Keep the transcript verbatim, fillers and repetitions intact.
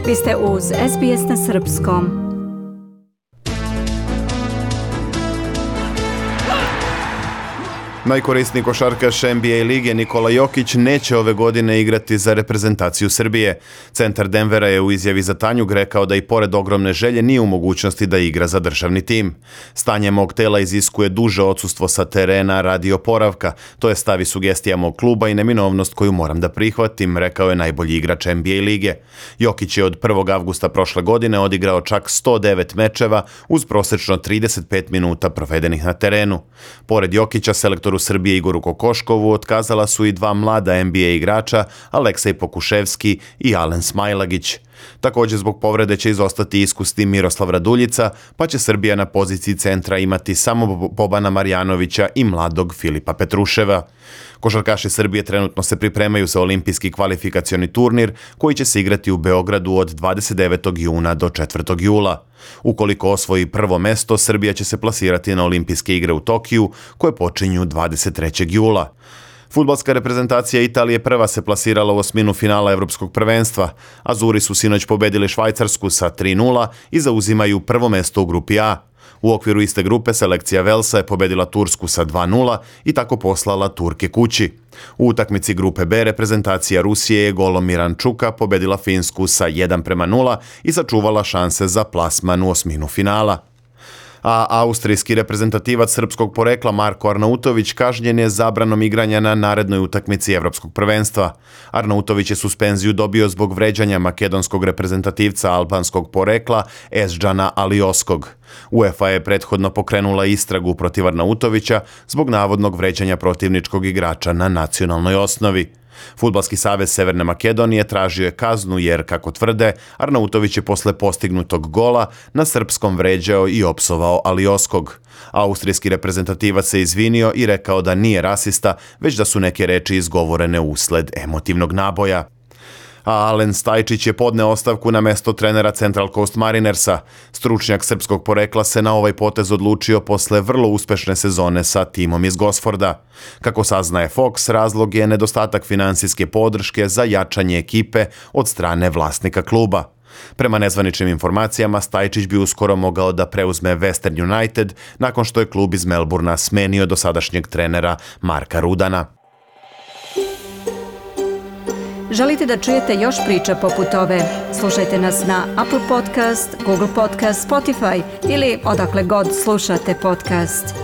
Vi ste uz S B S na srpskom. Najkorisniji košarkaš N B A lige Nikola Jokić neće ove godine igrati za reprezentaciju Srbije. Centar Denvera je u izjavi za Tanjug rekao da i pored ogromne želje nije u mogućnosti da igra za državni tim. Stanje mog tela iziskuje duže odsustvo sa terena radi oporavka. To je stav i sugestija mog kluba i neminovnost koju moram da prihvatim, rekao je najbolji igrač N B A lige. Jokić je od prvog avgusta prošle godine odigrao čak sto devet mečeva uz prosečno trideset pet minuta provedenih na terenu. Pored Jokića, selektoru Srbije Igoru Kokoškovu otkazala su i dva mlada N B A igrača, Aleksej Pokuševski i Alen Smailagić. Također zbog povrede će izostati iskusni Miroslav Raduljica, pa će Srbija na poziciji centra imati samo Bobana Marjanovića i mladog Filipa Petruševa. Košarkaši Srbije trenutno se pripremaju za olimpijski kvalifikacioni turnir koji će se igrati u Beogradu od dvadeset devetog juna do četvrtog jula. Ukoliko osvoji prvo mesto, Srbija će se plasirati na olimpijske igre u Tokiju koje počinju dvadeset trećeg jula. Fudbalska reprezentacija Italije prva se plasirala u osminu finala Evropskog prvenstva. Azuri su sinoć pobedili Švajcarsku sa tri nula i zauzimaju prvo mesto u grupi A. U okviru iste grupe selekcija Velsa je pobedila Tursku sa dva nula i tako poslala Turke kući. U utakmici grupe B reprezentacija Rusije je golom Mirančuka pobedila Finsku sa jedan prema nula i sačuvala šanse za plasman u osminu finala. A austrijski reprezentativac srpskog porekla Marko Arnautović kažnjen je zabranom igranja na narednoj utakmici Evropskog prvenstva. Arnautović je suspenziju dobio zbog vređanja makedonskog reprezentativca albanskog porekla Esdžana Alioskog. UEFA je prethodno pokrenula istragu protiv Arnautovića zbog navodnog vređanja protivničkog igrača na nacionalnoj osnovi. Fudbalski savez Severne Makedonije tražio je kaznu jer, kako tvrde, Arnautović je posle postignutog gola na srpskom vređao i opsovao Alioskog. Austrijski reprezentativac se izvinio i rekao da nije rasista, već da su neke reči izgovorene usled emotivnog naboja. A Alen Stajčić je podneo ostavku na mesto trenera Central Coast Marinersa. Stručnjak srpskog porekla se na ovaj potez odlučio posle vrlo uspešne sezone sa timom iz Gosforda. Kako saznaje Fox, razlog je nedostatak finansijske podrške za jačanje ekipe od strane vlasnika kluba. Prema nezvaničnim informacijama, Stajčić bi uskoro mogao da preuzme Western United nakon što je klub iz Melburna smenio dosadašnjeg trenera Marka Rudana. Želite da čujete još priča poput ove? Slušajte nas na Apple Podcast, Google Podcast, Spotify ili odakle god slušate podcast.